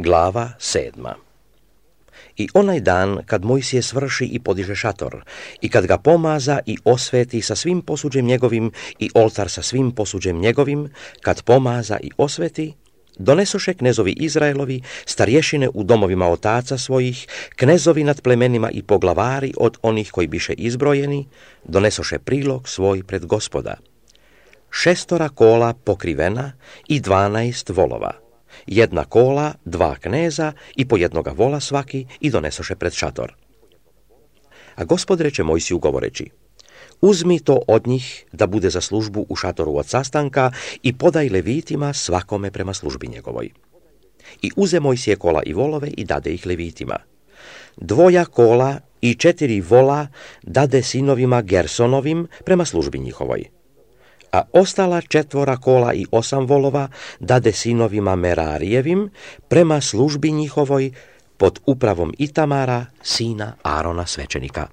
Glava 7. I onaj dan, kad Mojsije svrši i podiže šator, i kad ga pomaza i osveti sa svim posuđem njegovim i oltar sa svim posuđem njegovim, kad pomaza i osveti, donesoše knezovi Izraelovi, starješine u domovima otaca svojih, knezovi nad plemenima i poglavari od onih koji biše izbrojeni, donesoše prilog svoj pred Gospoda. 6 kola pokrivena i 12 volova. 1 kola, 2 kneza i po 1 vola svaki i donesoše pred šator. A Gospod reče Mojsiju govoreći: uzmi to od njih da bude za službu u šatoru od sastanka i podaj levitima svakome prema službi njegovoj. I uze Mojsije kola i volove i dade ih levitima. 2 kola i 4 vola dade sinovima Gersonovim prema službi njihovoj. A ostala 4 kola i 8 volova dade sinovima Merarijevim prema službi njihovoj pod upravom Itamara, sina Arona svećenika.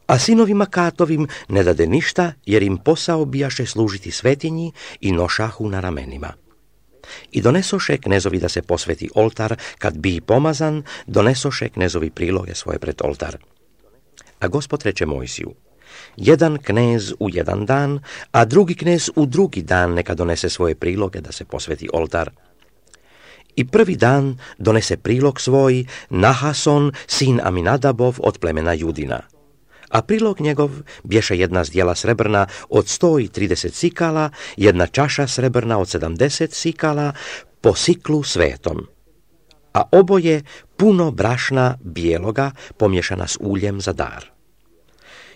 A sinovima Katovim ne dade ništa, jer im posao bijaše služiti svetinji i nošahu na ramenima. I donesoše knezovi da se posveti oltar, kad bi pomazan, donesoše knezovi priloge svoje pred oltar. A Gospod reče Mojsiju: 1 knez u 1 dan, a drugi knez u drugi dan neka donese svoje priloge da se posveti oltar. I prvi dan donese prilog svoj Nahason, sin Aminadabov od plemena Judina. A prilog njegov bješe 1 zdjela srebrna od 130 sikala, 1 čaša srebrna od 70 sikala, po siklu svetom. A oboje puno brašna bijeloga pomješana s uljem za dar.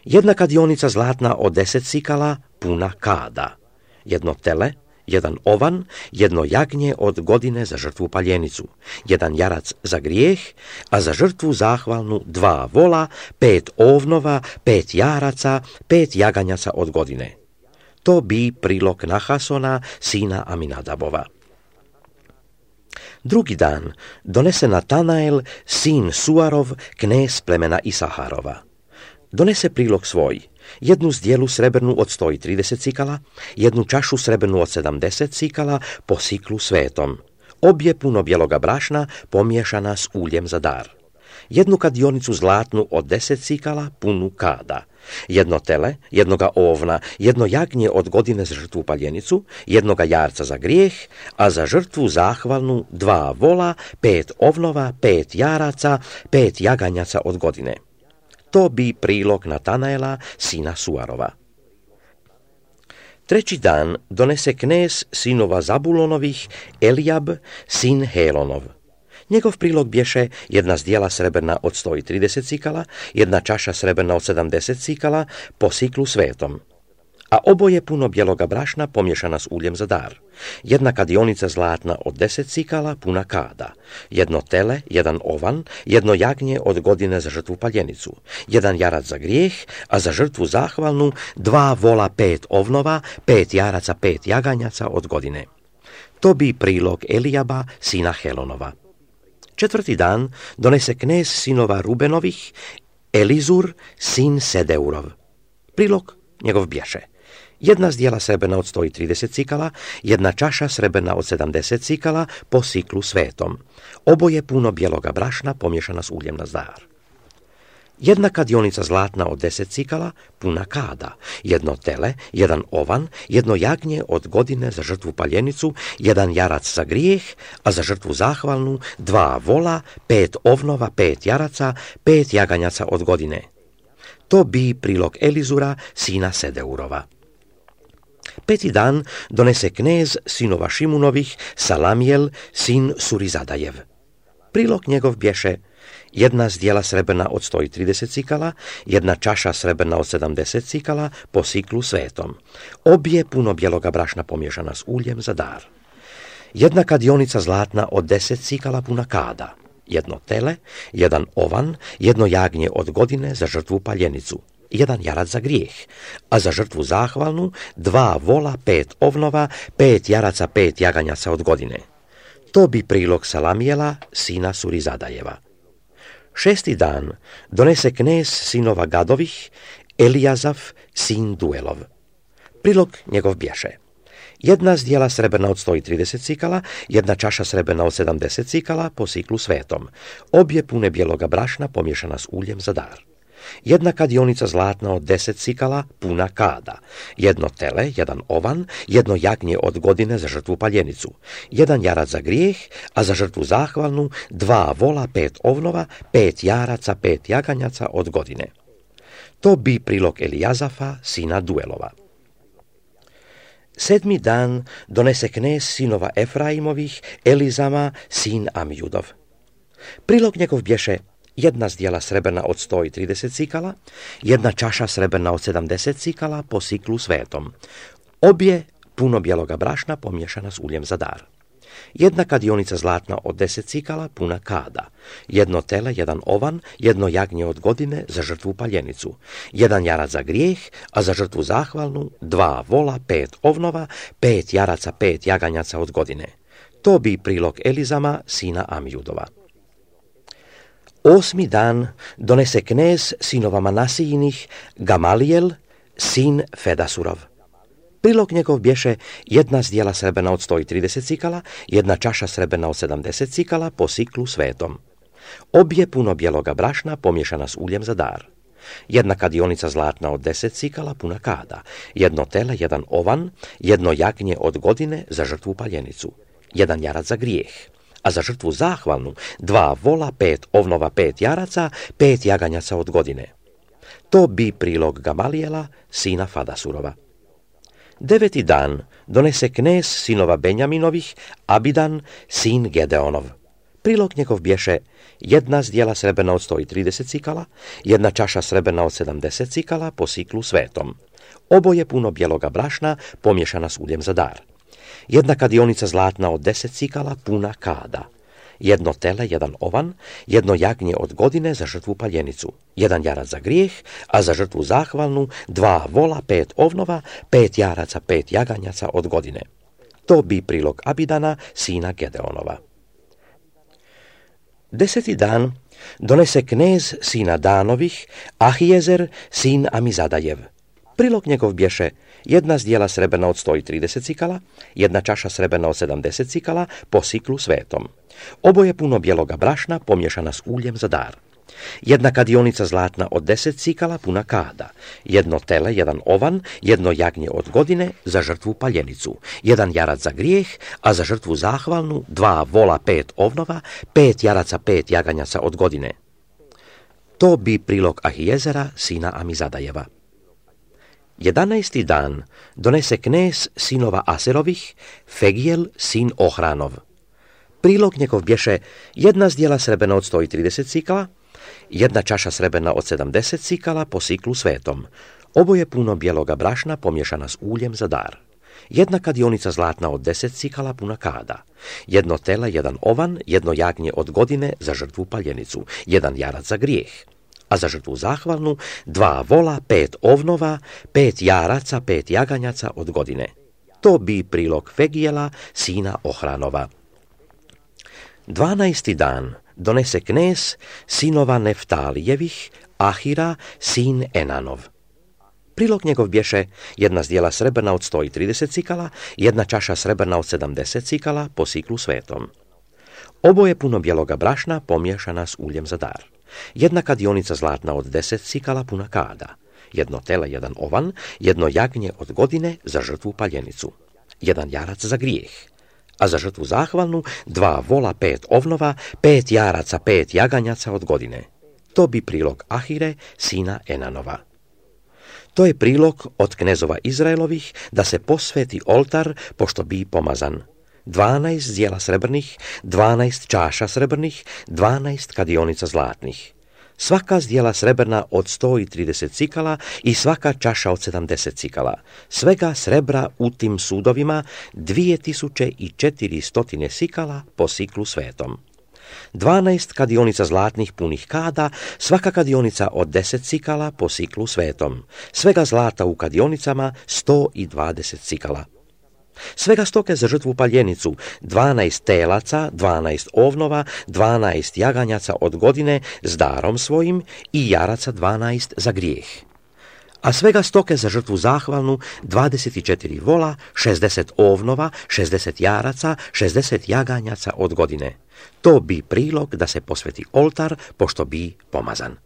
1 kadionica zlatna od 10 sikala, puna kada. 1 tele, 1 ovan, 1 jagnje od godine za žrtvu paljenicu, 1 jarac za grijeh, a za žrtvu zahvalnu 2 vola, 5 ovnova, 5 jaraca, 5 jaganjaca od godine. To bi prilog Nahasona, sina Aminadabova. Drugi dan donese Natanael, sin Suarov, knez plemena Isaharova. Donese prilog svoj: 1 zdjelu srebrnu od 130 sikala, 1 čašu srebrnu od 70 sikala po siklu svetom, obje puno bijeloga brašna pomiješana s uljem za dar. 1 kadionicu zlatnu od 10 sikala, punu kada. 1 tele, 1 ovna, 1 jagnje od godine za žrtvu paljenicu, 1 jarca za grijeh, a za žrtvu zahvalnu 2 vola, 5 ovnova, 5 jaraca, 5 jaganjaca od godine. To bi prilog Natanaela, sina Suarova. 3. dan donese knez sinova Zabulonovih, Elijab, sin Helonov. Njegov prilog bješe 1 zdjela srebrna od 130 sikala, 1 čaša srebrna od 70 sikala, po siklu svetom. A oboje puno bijeloga brašna pomješana s uljem za dar. 1 kadionica zlatna od 10 sikala, puna kada. 1 tele, 1 ovan, 1 jagnje od godine za žrtvu paljenicu, 1 jarac za grijeh, a za žrtvu zahvalnu 2 vola, 5 ovnova, 5 jaraca, 5 jaganjaca od godine. To bi prilog Elijaba, sina Helonova. 4. dan donese knez sinova Rubenovih, Elizur, sin Sedeurov. Prilog njegov bješe: 1 zdjela srebrna od 130 sikala, 1 čaša srebrna od 70 sikala po siklu svetom, oboje puno bijeloga brašna pomješana s uljem na dar. 1 kadionica zlatna od 10 sikala, puna kada. 1 tele, 1 ovan, 1 jagnje od godine za žrtvu paljenicu, 1 jarac za grijeh, a za žrtvu zahvalnu 2 vola, 5 ovnova, 5 jaraca, 5 jaganjaca od godine. To bi prilog Elizura, sina Sedeurova. 5. dan donese knez sinova Šimunovih, Salamijel, sin Surizadajev. Prilog njegov bješe: 1 zdjela srebrna od 130 sikala, 1 čaša srebrna od 70 sikala po siklu svetom, obje puno bijeloga brašna pomješana s uljem za dar. 1 kadionica zlatna od 10 sikala, puna kada. 1 tele, 1 ovan, 1 jagnje od godine za žrtvu paljenicu, 1 jarac za grijeh, a za žrtvu zahvalnu 2 vola, 5 ovnova, 5 jaraca, 5 jaganjaca od godine. To bi prilog Salamijela, sina Surizadajeva. 6. dan donese knez sinova Gadovih, Elijazaf, sin Duelov. Prilog njegov bješe: Jedna zdjela srebrna od 130 cikala, jedna čaša srebrna od 70 cikala po siklu svetom. Obje pune bijeloga brašna pomiješana s uljem za dar. Jedna kadionica zlatna od 10 cikala, puna kada. Jedno tele, jedan ovan, jedno jagnje od godine za žrtvu paljenicu. Jedan jarac za grijeh, a za žrtvu zahvalnu 2 vola, 5 ovnova, 5 jaraca, 5 jaganjaca od godine. To bi prilog Elijazafa, sina Duelova. 7. dan donese knez sinova Efraimovih, Elizama, sin Amjudov. Prilog njegov bješe jedna zdjela srebrna od 130 cikala, jedna čaša srebrna od 70 cikala po siklu svetom. Obje puno bijeloga brašna pomiješana s uljem za dar. Jedna kadionica zlatna od 10 cikala, puna kada. Jedno tele, jedan ovan, jedno jagnje od godine za žrtvu paljenicu. Jedan jarac za grijeh, a za žrtvu zahvalnu 2 vola, 5 ovnova, 5 jaraca, 5 jaganjaca od godine. To bi prilog Elizama, sina Amjudova. 8. dan donese knez sinova Manasijinih, Gamalijel, sin Fedasurov. Prilog njegov bješe jedna zdjela srebrna od 130 cikala, jedna čaša srebrna od 70 cikala po siklu svetom. Obje puno bijeloga brašna pomiješana s uljem za dar. Jedna kadionica zlatna od 10 cikala, puna kada. Jedno tele, jedan ovan, jedno jagnje od godine za žrtvu paljenicu. Jedan jarac za grijeh. A za žrtvu zahvalnu 2 vola, 5 ovnova, 5 jaraca, 5 jaganjaca od godine. To bi prilog Gamalijela, sina Fadasurova. 9. dan donese knez sinova Benjaminovih, Abidan, sin Gedeonov. Prilog njegov bješe jedna zdjela srebrna od 130 cikala, jedna čaša srebrna od 70 cikala po siklu svetom. Oboje puno bijeloga brašna pomiješana s uljem za dar. Jedna kadionica zlatna od 10 cikala, puna kada. Jedno tele, jedan ovan, jedno jagnje od godine za žrtvu paljenicu. Jedan jarac za grijeh, a za žrtvu zahvalnu 2 vola, 5 ovnova, 5 jaraca, 5 jaganjaca od godine. To bi prilog Abidana, sina Gedeonova. 10. dan donese knez sina Danovih, Ahijezer, sin Amizadajev. Prilog njegov bješe jedna zdjela srebrna od 130 cikala, jedna čaša srebrna od 70 cikala po siklu svetom. Oboje puno bijeloga brašna pomiješana s uljem za dar. Jedna kadionica zlatna od 10 cikala, puna kada. Jedno tele, jedan ovan, jedno jagnje od godine za žrtvu paljenicu. Jedan jarac za grijeh, a za žrtvu zahvalnu 2 vola, 5 ovnova, 5 jaraca, 5 jaganjaca od godine. To bi prilog Ahijezera, sina Amizadajeva. 11. dan donese knez sinova Aserovih, Fegijel, sin Ohranov. Prilog njegov bješe jedna zdjela srebrna od 130 cikala, jedna čaša srebrna od 70 cikala po siklu svetom. Oboje puno bijeloga brašna pomiješana s uljem za dar. Jedna kadionica zlatna od 10 cikala, puna kada. Jedno tele, jedan ovan, jedno jagnje od godine za žrtvu paljenicu. Jedan jarac za grijeh. A za žrtvu zahvalnu 2 vola, 5 ovnova, 5 jaraca, 5 jaganjaca od godine. To bi prilog Fegijela, sina Ohranova. 12. dan donese knez sinova Neftalijevih, Ahira, sin Enanov. Prilog njegov bješe jedna zdjela srebrna od 130 cikala, jedna čaša srebrna od 70 cikala po siklu svetom. Oboje puno bijeloga brašna pomiješana s uljem za dar. Jedna kadionica zlatna od 10 cikala, puna kada. Jedno tele, jedan ovan, jedno jagnje od godine za žrtvu paljenicu. Jedan jarac za grijeh. A za žrtvu zahvalnu 2 vola, 5 ovnova, 5 jaraca, 5 jaganjaca od godine. To bi prilog Ahire, sina Enanova. To je prilog od knezova Izraelovih da se posveti oltar pošto bi pomazan. 12 zdjela srebrnih, 12 čaša srebrnih, 12 kadionica zlatnih. Svaka zdjela srebrna od 130 cikala i svaka čaša od 70 cikala. Svega srebra u tim sudovima 2400 sikala po siklu svetom. 12 kadionica zlatnih punih kada, svaka kadionica od 10 cikala po siklu svetom. Svega zlata u kadionicama 120 cikala. Svega stoke za žrtvu paljenicu, 12 telaca, 12 ovnova, 12 jaganjaca od godine s darom svojim i jaraca 12 za grijeh. a svega stoke za žrtvu zahvalnu 24 vola, 60 ovnova, 60 jaraca, 60 jaganjaca od godine. To bi prilog da se posveti oltar, pošto bi pomazan.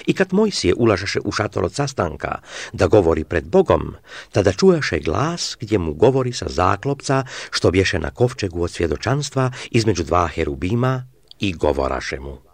I kad Mojsije ulažeše u šator od sastanka da govori pred Bogom, tada čujaše glas gdje mu govori sa zaklopca što bješe na kovčegu od svjedočanstva između dva herubima i govoraše mu: